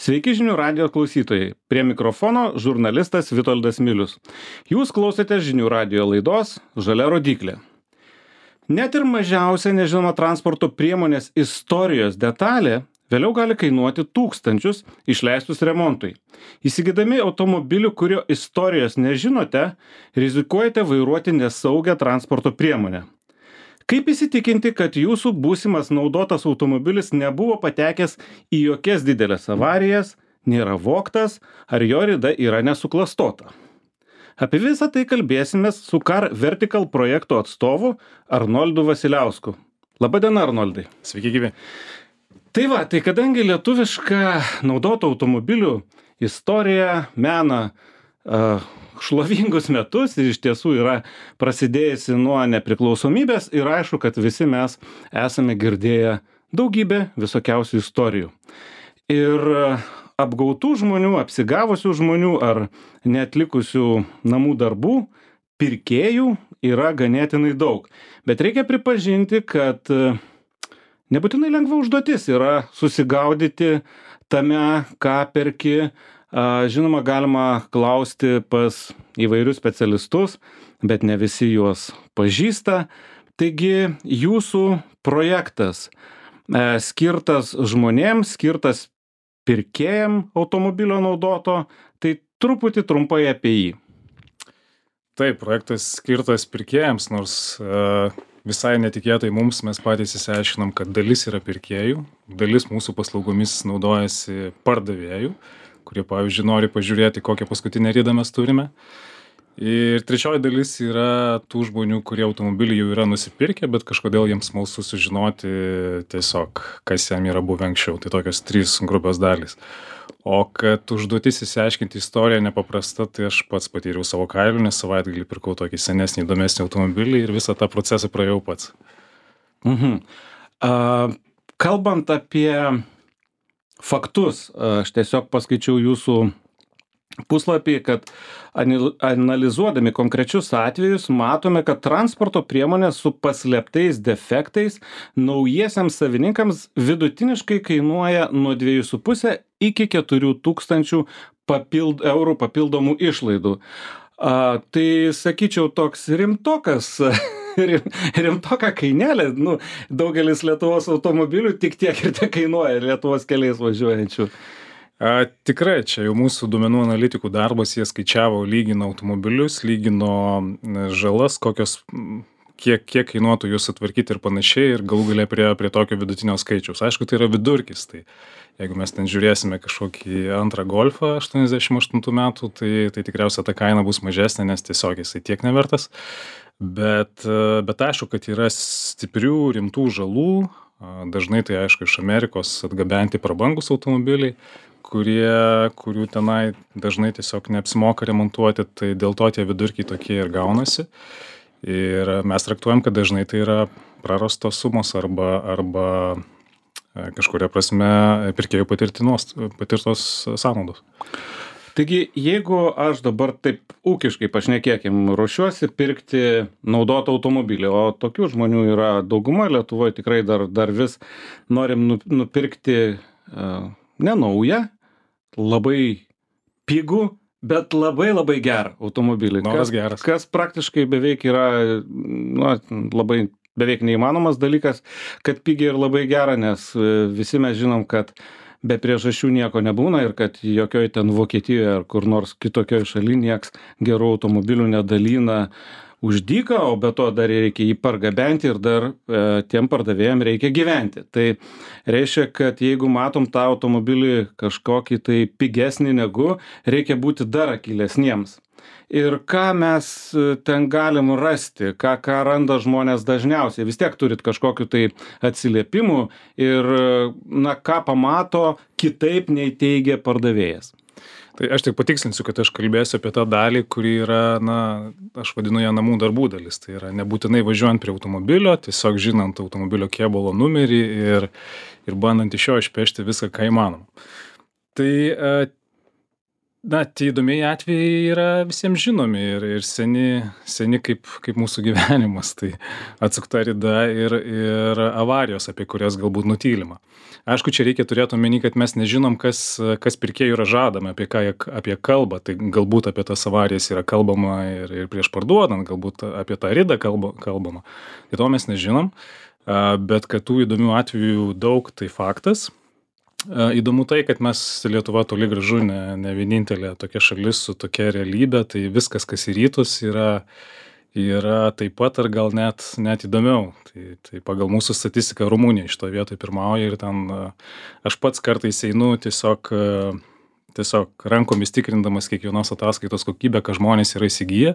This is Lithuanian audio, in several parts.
Sveiki žinių radijo klausytojai. Prie mikrofono žurnalistas Vitoldas Milius. Jūs klausėte žinių radijo laidos Žalia rodyklė. Net ir mažiausia nežinoma transporto priemonės istorijos detalė vėliau gali kainuoti tūkstančius išleistus remontui. Įsigydami automobilių, kurio istorijos nežinote, rizikuojate vairuoti nesaugią transporto priemonę. Kaip įsitikinti, kad jūsų būsimas naudotas automobilis nebuvo patekęs į jokias didelės avarijas, nėra vogtas ar jo rida yra nesuklastota? Apie visą tai kalbėsimės su Car Vertical projekto atstovu Arnoldu Vasiliausku. Labadiena, Arnoldai. Sveiki, gyvi. Tai kadangi lietuviška naudotų automobilių istorija mena šlovingus metus ir iš tiesų yra prasidėjusi nuo nepriklausomybės ir aišku, kad visi mes esame girdėję daugybę visokiausių istorijų. Ir apgautų žmonių, apsigavusių žmonių ar neatlikusių namų darbų pirkėjų yra ganėtinai daug. Bet reikia pripažinti, kad nebūtinai lengva užduotis yra susigaudyti tame, ką perki. Žinoma, galima klausti pas įvairius specialistus, bet ne visi juos pažįsta. Taigi jūsų projektas skirtas žmonėms, skirtas pirkėjam automobilio naudoto, tai truputį trumpai apie jį. Taip, projektas skirtas pirkėjams, nors visai netikėtai mums mes patys įsiaiškinam, kad dalis yra pirkėjų, dalis mūsų paslaugomis naudojasi pardavėjų, kurie, pavyzdžiui, nori pažiūrėti, kokią paskutinę ridą mes turime. Ir trečioji dalis yra tų žmonių, kurie automobilį jau yra nusipirkę, bet kažkodėl jiems smalsu sužinoti tiesiog, kas jam yra buvę anksčiau. Tai tokios 3 grupės dalys. O kad užduotis įsiaiškinti istoriją nepaprasta, tai aš pats patyriau savo kailiu, nes savaitgalį pirkau tokį senesnį, įdomesnį automobilį ir visą tą procesą praėjau pats. Kalbant apie faktus, aš tiesiog paskaičiau jūsų puslapį, kad analizuodami konkrečius atvejus matome, kad transporto priemonės su paslėptais defektais naujiesiams savininkams vidutiniškai kainuoja nuo 2,5 iki 4 tūkstančių eurų papildomų išlaidų. Tai sakyčiau toks rimtoka kainelė, daugelis Lietuvos automobilių tik tiek ir te kainuoja Lietuvos keliais važiuojančių. Tikrai, čia jau mūsų duomenų analitikų darbas, jie skaičiavo, lygino automobilius, lygino žalas, kiek kainuotų juos sutvarkyti ir panašiai, ir galų galia prie tokio vidutinio skaičiaus. Aišku, tai yra vidurkis, tai jeigu mes ten žiūrėsime kažkokį antrą Golfą 88 metų, tai tikriausiai ta kaina bus mažesnė, nes tiesiog jisai tiek nevertas. Bet aišku, kad yra stiprių, rimtų žalų, dažnai tai aišku iš Amerikos atgabenti prabangus automobiliai, kurių tenai dažnai tiesiog neapsimoka remontuoti, tai dėl to tie vidurkiai tokie ir gaunasi. Ir mes traktuojam, kad dažnai tai yra prarastos sumos arba kažkuria prasme pirkėjų patirtos sąnaudos. Taigi, jeigu aš dabar taip ūkiškai pašnekėkim, ruošiuosi pirkti naudotą automobilį, o tokių žmonių yra dauguma Lietuvoje, tikrai dar vis norim nupirkti nenaują, labai pigų, bet labai gerą automobilį. Noras geras. Kas praktiškai beveik yra labai beveik neįmanomas dalykas, kad pigiai ir labai gera, nes visi mes žinom, kad be priežasčių nieko nebūna ir kad jokioj ten Vokietijoje ar kur nors kitokioj šaly nieks gerų automobilių nedalina už dyką, o be to dar reikia jį pargabenti ir dar tiem pardavėjam reikia gyventi. Tai reiškia, kad jeigu matom tą automobilį kažkokį tai pigesnį negu, reikia būti dar akylesniems. Ir ką mes ten galim rasti, ką randa žmonės dažniausiai, vis tiek turit kažkokiu tai atsiliepimų ir ką pamato kitaip nei teigia pardavėjas. Tai aš tik patikslinsiu, kad aš kalbėsiu apie tą dalį, kuri yra, aš vadinu ją namų darbų dalis. Tai yra nebūtinai važiuojant prie automobilio, tiesiog žinant automobilio kėbulo numerį ir bandant iš jo išpešti viską, ką įmanoma. Tai Na, tie įdomiai atvejai yra visiems žinomi ir seni kaip mūsų gyvenimas. Tai atsukta rida ir avarijos, apie kurias galbūt nutylima. Aišku, čia reikia turėti omeny, kad mes nežinom, kas pirkėjų yra žadama, apie ką jie apie kalbą. Tai galbūt apie tas avarijas yra kalbama ir prieš parduodant, galbūt apie tą ridą kalbama. Tai to mes nežinom, bet kad tų įdomių atvejų daug, tai faktas. Įdomu tai, kad mes Lietuva toli gražu ne vienintelė tokia šalis su tokia realybė, tai viskas, kas į rytus, yra taip pat ar gal net įdomiau. Tai pagal mūsų statistiką Rumunija iš to vietoj pirmauja ir ten aš pats kartais einu tiesiog rankomis tikrindamas kiekvienos ataskaitos kokybę, ką žmonės yra įsigiję.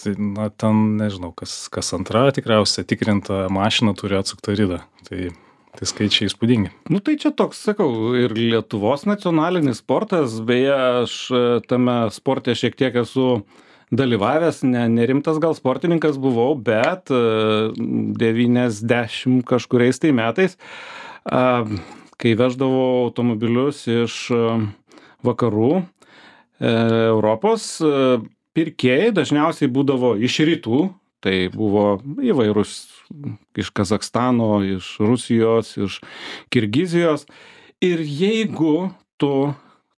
Tai, ten nežinau, kas antra tikriausiai tikrinta mašina turi atsuktą ridą. Tai skaičiai įspūdingi. Nu tai čia toks, sakau, ir Lietuvos nacionalinis sportas, beje, aš tame sporte šiek tiek esu dalyvavęs, nerimtas gal sportininkas buvau, bet 90 kažkuriais tai metais, kai veždavau automobilius iš vakarų Europos, pirkėjai dažniausiai būdavo iš rytų, tai buvo įvairūs iš Kazakstano, iš Rusijos, iš Kirgizijos. Ir jeigu tu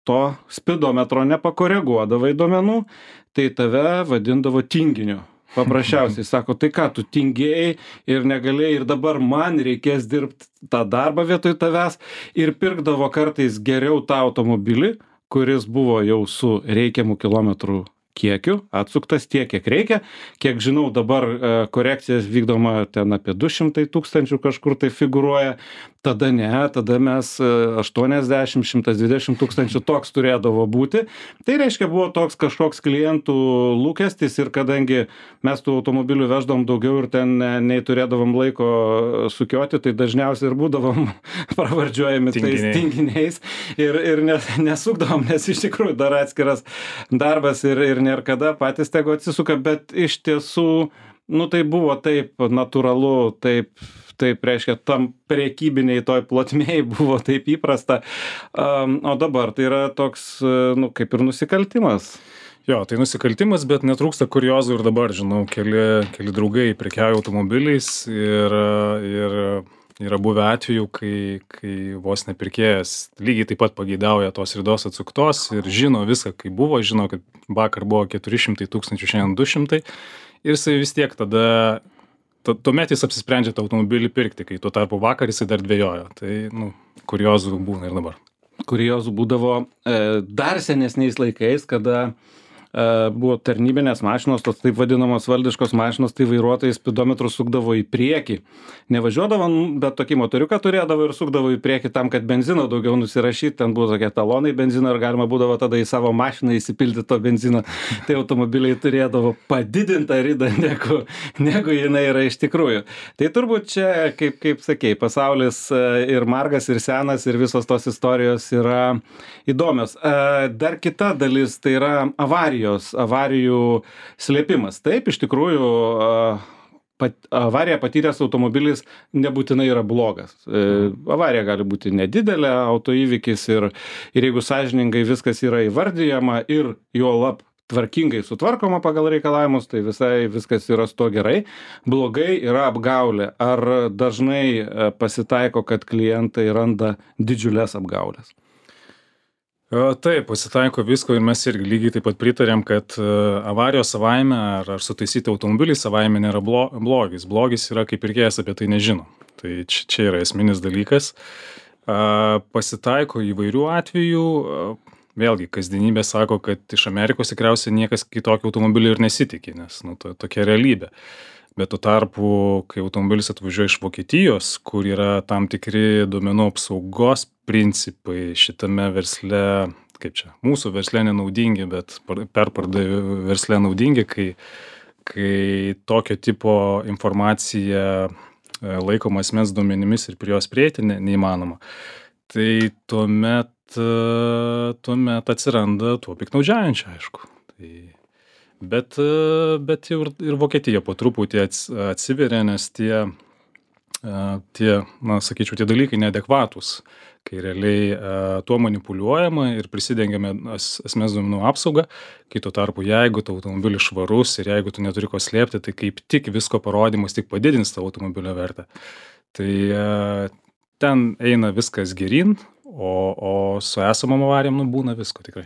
to spidometro nepakoreguodavai duomenų, tai tave vadindavo tinginiu. Paprasčiausiai sako, tai ką, tu tingėjai ir negalėjai ir dabar man reikės dirbti tą darbą vietoj tavęs ir pirkdavo kartais geriau tą automobilį, kuris buvo jau su reikiamu kilometrų kiekiu, atsuktas tiek, kiek reikia. Kiek žinau, dabar korekcijas vykdoma ten apie 200 tūkstančių kažkur tai figuruoja. Tada ne, tada mes 80-120 tūkstančių toks turėdavo būti. Tai reiškia, buvo toks kažkoks klientų lūkestis ir kadangi mes tų automobilių veždavom daugiau ir ten nei turėdavom laiko sukioti, tai dažniausiai ir būdavom pravardžiuojami tais tinginiais ir nesukdavom, nes iš tikrųjų dar atskiras darbas ir nėra kada patys tegu atsisuka, bet iš tiesų, nu tai buvo taip natūralu, taip reiškia, tam prekybiniai toj plotmėj buvo taip įprasta, o dabar tai yra toks, nu kaip ir nusikaltimas. Jo, tai nusikaltimas, bet netrūksta kuriozų ir dabar, žinau, keli draugai prekiauja automobiliais ir yra buvę atvejų, kai vos nepirkėjas lygiai taip pat pageidauja tos ridos atsuktos ir žino viską, kaip buvo, žino, kad vakar buvo 400 tūkstančių, šiandien 200 ir jisai vis tiek tada tuomet jis apsisprendžia tą automobilį pirkti, kai tuo tarpu vakar jisai dar dvejojo. Tai, kuriozų būna ir dabar. Kuriozų būdavo dar senesniais laikais, kada buvo tarnybinės mašinos, tos taip vadinamos valdiškos mašinos, tai vairuotojai spidometrų sukdavo į priekį. Nevažiuodavo, bet tokį motoriuką turėdavo ir sukdavo į priekį tam, kad benzino daugiau nusirašyti. Ten buvo tokie talonai benzino ir galima būdavo tada į savo mašiną įsipilti to benzino. Tai automobiliai turėdavo padidintą ridą, negu jinai yra iš tikrųjų. Tai turbūt čia, kaip sakei, pasaulis ir margas, ir senas, ir visos tos istorijos yra įdomios. Dar kita dalis, tai yra avarijų slėpimas. Taip, iš tikrųjų, avariją patyręs automobilis nebūtinai yra blogas. Avarija gali būti nedidelė, autoįvykis ir jeigu sąžiningai viskas yra įvardyjama ir juolab tvarkingai sutvarkoma pagal reikalavimus, tai viskas yra su to gerai. Blogai yra apgaulė. Ar dažnai pasitaiko, kad klientai randa didžiulės apgaulės? Taip, pasitaiko visko ir mes irgi lygiai taip pat pritarėm, kad avarijos savaime ar sutaisyti automobilį savaime nėra blogis. Blogis yra, kai pirkėjas apie tai nežino. Tai čia yra esminis dalykas. Pasitaiko įvairių atvejų. Vėlgi, kasdienybė sako, kad iš Amerikos tikriausiai niekas kitokio automobilio ir nesitikė, nes tokia realybė. Bet tuo tarpu, kai automobilis atvažiuoja iš Vokietijos, kur yra tam tikri duomenų apsaugos principai šitame versle, kaip čia, mūsų versle nenaudingi, bet perpardavėjų versle naudingi, kai tokio tipo informacija laikoma asmens duomenimis ir prie jos prieiti neįmanoma, tai tuomet atsiranda tuo piktnaudžiaujančių, aišku. Bet jau ir Vokietija po truputį atsiveria, nes tie tie, na, sakyčiau, tie dalykai neadekvatūs, kai realiai tuo manipuliuojama ir prisidengiame asmens duomenų apsaugą, kai tuo tarpu, jeigu tavo automobilis švarus ir jeigu tu neturi ko slėpti, tai kaip tik visko parodymas tik padidins tavo automobilio vertę. Tai ten eina viskas geryn, o su esamom avarijom būna visko tikrai.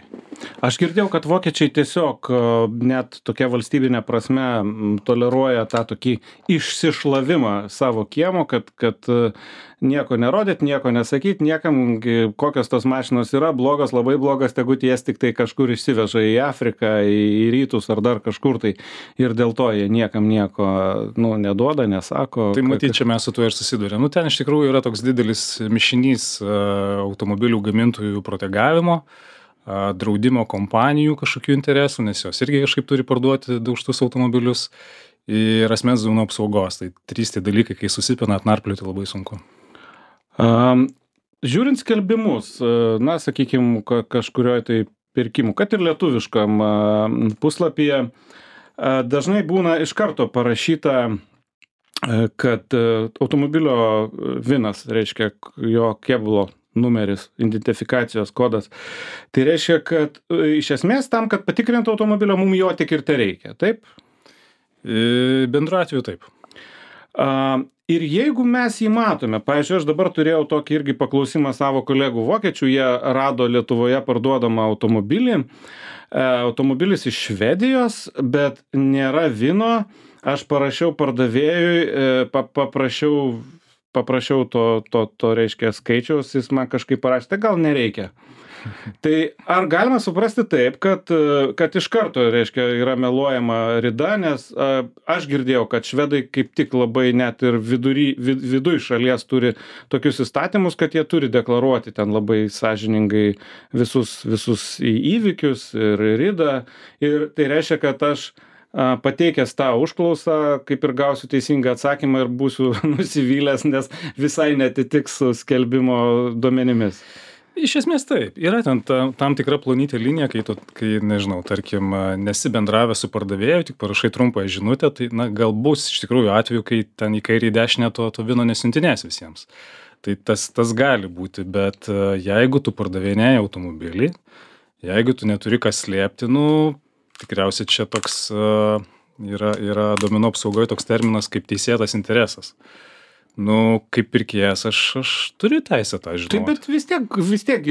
Aš girdėjau, kad vokiečiai tiesiog net tokia valstybinė prasme toleruoja tą tokį išsišlavimą savo kiemo, kad nieko nerodyt, nieko nesakyt, niekam kokios tos mašinos yra, blogas, labai blogas, tegu jas tik tai kažkur išsiveža į Afriką, į rytus ar dar kažkur tai. Ir dėl to jie niekam nieko neduoda, nesako. Tai matyt, čia mes su tuo ir susidurėm. Ten iš tikrųjų yra toks didelis mišinys automobilių gamintojų protegavimo, draudimo kompanijų kažkokių interesų, nes jos irgi kažkaip turi parduoti daužtus automobilius ir asmens duomenų apsaugos. Tai 3 tie dalykai, kai susipina, atnarplioti labai sunku. Žiūrint skelbimus, na, sakykime, kažkurioje tai pirkimų, kad ir lietuviškam puslapyje, dažnai būna iš karto parašyta, kad automobilio VINas, reiškia jo kėbulo numeris, identifikacijos kodas. Tai reiškia, kad iš esmės tam, kad patikrintų automobilio, mums jo tik ir tai reikia, taip? Bendru atveju taip. Ir jeigu mes jį matome, pavyzdžiui, aš dabar turėjau tokį irgi paklausimą savo kolegų vokiečių, jie rado Lietuvoje parduodamą automobilį, automobilis iš Švedijos, bet nėra VINo, aš parašiau pardavėjui, paprašiau to reiškia skaičiaus, jis man kažkaip parašė, tai gal nereikia. Tai ar galima suprasti taip, kad iš karto, reiškia, yra meluojama rida, nes aš girdėjau, kad švedai kaip tik labai net ir viduj šalies turi tokius įstatymus, kad jie turi deklaruoti ten labai sąžiningai visus įvykius ir ridą. Ir tai reiškia, kad aš pateikęs tą užklausą, kaip ir gausiu teisingą atsakymą ir būsiu nusivylęs, nes visai netitiks su skelbimo duomenimis. Iš esmės taip. Yra ten tam tikra plonytė linija, kai nežinau, tarkim, nesi bendravęs su pardavėju, tik parašai trumpą žinutę, tai gal bus iš tikrųjų atveju, kai ten į kairį į dešinę to VINo nesiuntinės visiems. Tai tas gali būti, bet jeigu tu pardavinėji automobilį, jeigu tu neturi ką slėpti, tikriausiai čia toks yra duomenų apsaugoje toks terminas kaip teisėtas interesas. Kaip pirkėjas aš turiu teisę tą žinoti. Taip, bet vis tiek,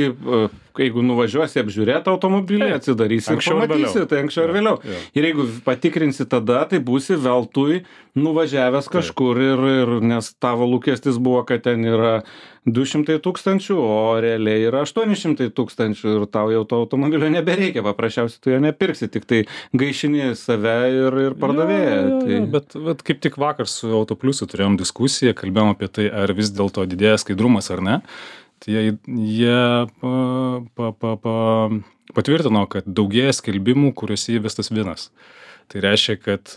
jeigu nuvažiuosi apžiūrėti automobilį, atsidarysi ir pamatysi, tai anksčiau ir vėliau. Ir jeigu patikrinsi tada, tai būsi veltui nuvažiavęs kažkur ir nes tavo lūkestis buvo, kad ten yra 200 000, o realiai yra 800 000 ir tau jau to automobilio nebereikia, paprasčiausiai tu jo nepirksi, tik tai gaišini save ir pardavėją. Bet kaip tik vakar su Autopliusu turėjom diskusiją, kalbėjom apie tai, ar vis dėlto didėja skaidrumas ar ne. Tai jie patvirtino, kad daugėja skelbimų, kuriuose įvestas VINas. Tai reiškia, kad,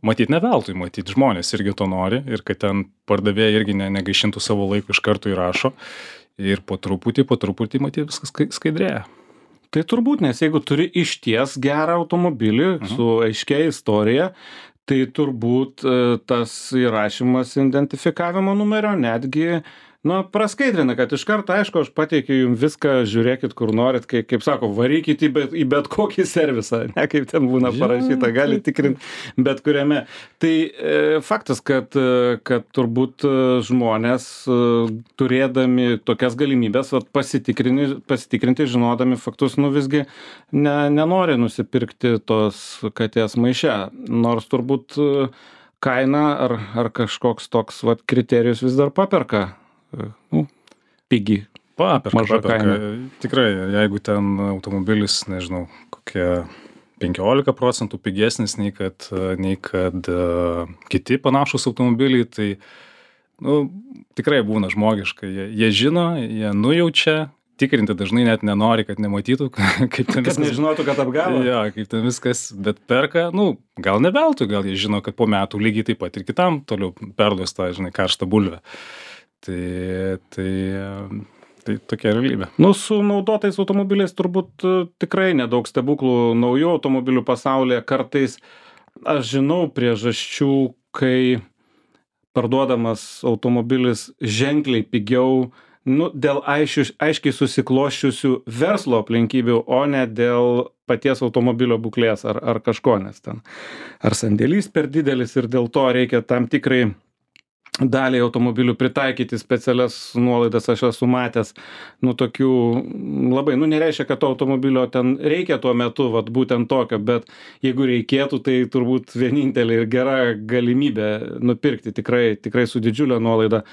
matyt ne veltui, matyt žmonės irgi to nori ir kad ten pardavėjai irgi negaišintų savo laiko iš karto įrašo ir po truputį, matyt, viskas skaidrėja. Tai turbūt, nes jeigu turi išties gerą automobilį su aiškia istorija, tai turbūt tas įrašymas identifikavimo numerio netgi praskaidrina, kad iš karto, aišku, aš pateikiu jums viską, žiūrėkit, kur norit, kaip sako, varykit į bet kokį servisą, ne kaip ten būna parašyta, gali tikrinti bet kuriame. Tai faktas, kad turbūt žmonės, turėdami tokias galimybės, pasitikrinti, žinodami faktus, visgi nenori nusipirkti tos katės maiše, nors turbūt kaina ar kažkoks toks kriterijus vis dar paperka. Pigi. Paperka. Tikrai, jeigu ten automobilis, nežinau, kokie 15% pigesnis nei kad kiti panašus automobiliai, tai tikrai būna žmogiška. Jie žino, jie nujaučia, tikrinti dažnai net nenori, kad nematytų, kaip ten viskas. Kad nežinotų, kad apgavo. Jo, kaip ten viskas, bet perka, gal ne veltui, gal jie žino, kad po metų lygiai taip pat ir kitam toliau perduos tą, karštą bulvę. Tai tokia realybė. Su naudotais automobiliais turbūt tikrai nedaug stebuklų naujų automobilių pasaulyje. Kartais aš žinau priežasčių, kai parduodamas automobilis ženkliai pigiau, nu, dėl aiškiai susiklosčiusių verslo aplinkybių, o ne dėl paties automobilio būklės ar kažko, nes ten ar sandėlys per didelis ir dėl to reikia tam tikrai daliai automobilių pritaikyti specialias nuolaidas. Aš esu matęs, nu, tokių labai, nu, nereiškia, kad to automobilio ten reikia tuo metu, vat būtent tokio, bet jeigu reikėtų, tai turbūt vienintelė ir gera galimybė nupirkti tikrai su didžiulė nuolaida.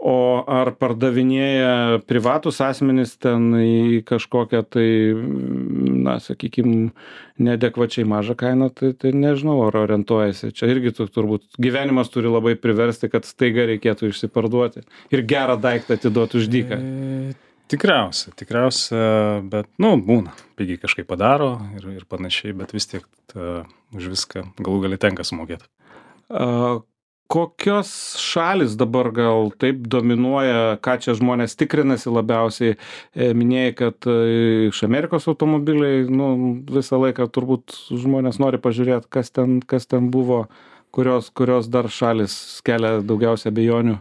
O ar pardavinėja privatus asmenys ten į kažkokią tai, na, sakykim, neadekvačiai mažą kainą, tai nežinau, ar orientuojasi. Čia irgi turbūt gyvenimas turi labai priversti, kad staiga reikėtų išsiparduoti ir gerą daiktą atiduoti už dyką. Tikriausia, bet, nu, būna. Pigiai kažkaip padaro ir panašiai, bet vis tiek už viską galų gali tenka sumokėti. Kokios šalis dabar gal taip dominuoja, ką čia žmonės tikrinasi labiausiai? Minėjai, kad iš Amerikos automobiliai, nu, visą laiką turbūt žmonės nori pažiūrėti, kas ten buvo, kurios dar šalis kelia daugiausia abejonių.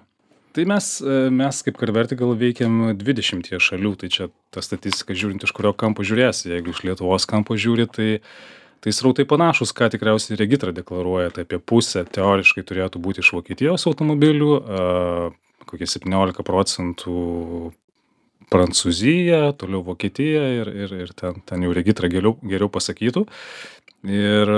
Tai mes kaip Carvertical veikiam 20 šalių, tai čia ta statistika žiūrint, iš kurio kampo žiūrėsi. Jeigu iš Lietuvos kampo žiūri, tai srautai panašus, ką tikriausiai Regitra deklaruoja, tai apie pusę teoriškai turėtų būti iš Vokietijos automobilių, kokie 17% Prancūzija, toliau Vokietija ir ten jau Regitra geriau pasakytų. Ir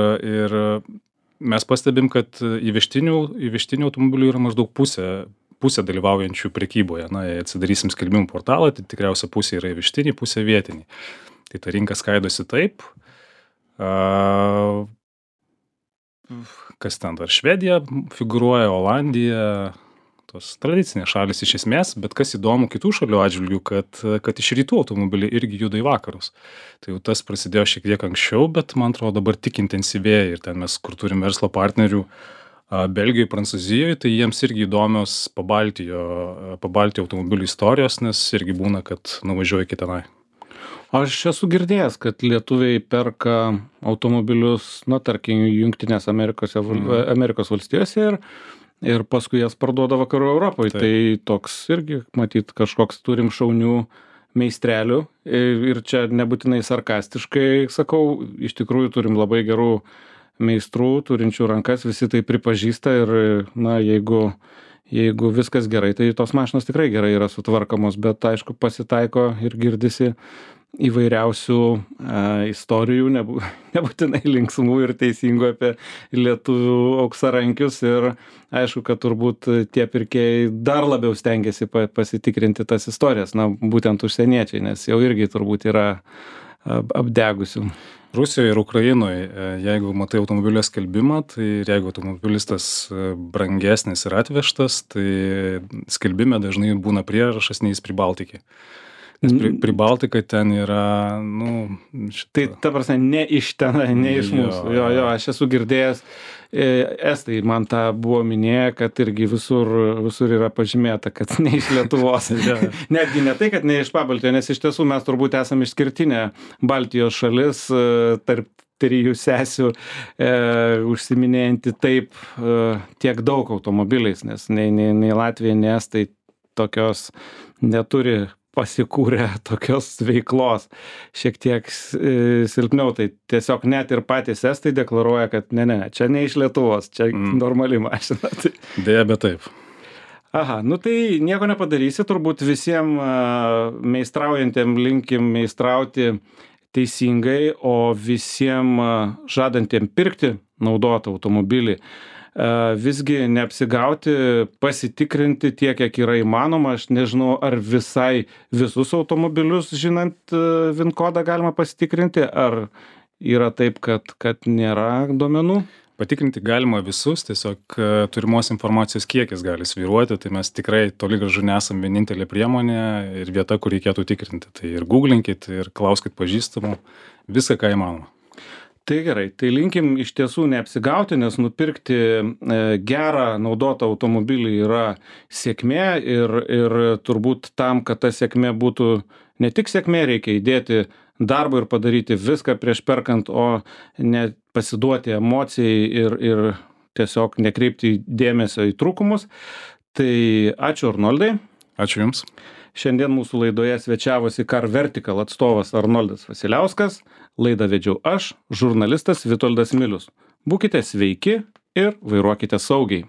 mes pastebim, kad įvežtinių automobilių yra maždaug pusė dalyvaujančių prekyboje. Na, jei atsidarysim skelbimų portalą, tai tikriausia pusė yra įvežtiniai, pusė vietiniai. Tai ta rinka skaidosi taip. Kas ten dar? Švedija figūruoja, Olandija, tos tradicinės šalis iš esmės, bet kas įdomu kitų šalių atžvilgių, kad iš rytų automobiliai irgi juda į vakarus. Tai jau tas prasidėjo šiek tiek anksčiau, bet man atrodo dabar tik intensyvėja ir ten mes, kur turim verslo partnerių Belgijoje, Prancūzijoje, tai jiems irgi įdomios Pabaltijo automobilių istorijos, nes irgi būna, kad nuvažiuoja iki tenai. Aš esu girdėjęs, kad lietuviai perka automobilius, na, tarkim, Jungtinės Amerikos valstijose ir paskui jas parduoda vakarų Europoje. Tai toks irgi, matyt, kažkoks turim šaunių meistrelių ir čia nebūtinai sarkastiškai sakau, iš tikrųjų turim labai gerų meistrų, turinčių rankas, visi tai pripažįsta ir, na, jeigu viskas gerai, tai tos mašinos tikrai gerai yra sutvarkomos, bet aišku pasitaiko ir girdisi įvairiausių istorijų, nebūtinai linksmų ir teisingų apie lietuvių auksarankius ir aišku, kad turbūt tie pirkėjai dar labiau stengiasi pasitikrinti tas istorijas, na, būtent užsieniečiai, nes jau irgi turbūt yra apdegusių. Rusijoje ir Ukrainoje, jeigu matai automobilio skelbimą, tai jeigu automobilis tas brangesnis ir atvežtas, tai skelbime dažnai būna prierašas neis Pribaltikį. Nes Pribaltika ten yra, nu... Tai ta prasme, ne iš ten, ne iš mūsų. Jo, aš esu girdėjęs, estai man tą buvo minėję, kad irgi visur yra pažymėta, kad ne iš Lietuvos. Netgi ne tai, kad ne iš Pabaltijo, nes iš tiesų mes turbūt esame išskirtinė Baltijos šalis tarp trijų sesių, užsiminėjanti taip tiek daug automobiliais, nes nei Latvija, nei Estai tokios neturi pasikūrė tokios veiklos šiek tiek silpniau, tai tiesiog net ir patys estai deklaruoja, kad ne, čia ne iš Lietuvos, čia normali mašina. Deja, bet taip. Aha, nu tai nieko nepadarysi, turbūt visiems meistraujantiem linkim meistrauti teisingai, o visiems žadantiem pirkti naudotą automobilį visgi neapsigauti, pasitikrinti tiek, kiek yra įmanoma. Aš nežinau, ar visai visus automobilius, žinant VIN kodą, galima pasitikrinti, ar yra taip, kad nėra duomenų? Patikrinti galima visus, tiesiog turimos informacijos kiekis gali svyruoti, tai mes tikrai toli gražu nesam vienintelė priemonė ir vieta, kur reikėtų tikrinti. Tai ir googlinkit, ir klauskit pažįstamų, viską, ką įmanoma. Tai gerai, tai linkim iš tiesų neapsigauti, nes nupirkti gerą naudotą automobilį yra sėkmė ir turbūt tam, kad ta sėkmė būtų ne tik sėkmė, reikia įdėti darbą ir padaryti viską prieš perkant, o ne pasiduoti emocijai ir tiesiog nekreipti dėmesio į trūkumus. Tai ačiū Arnoldai. Ačiū Jums. Šiandien mūsų laidoje svečiavosi Car Vertical atstovas Arnoldas Vasiliauskas. Laidą vedžiau aš, žurnalistas Vitoldas Milius. Būkite sveiki ir vairuokite saugiai.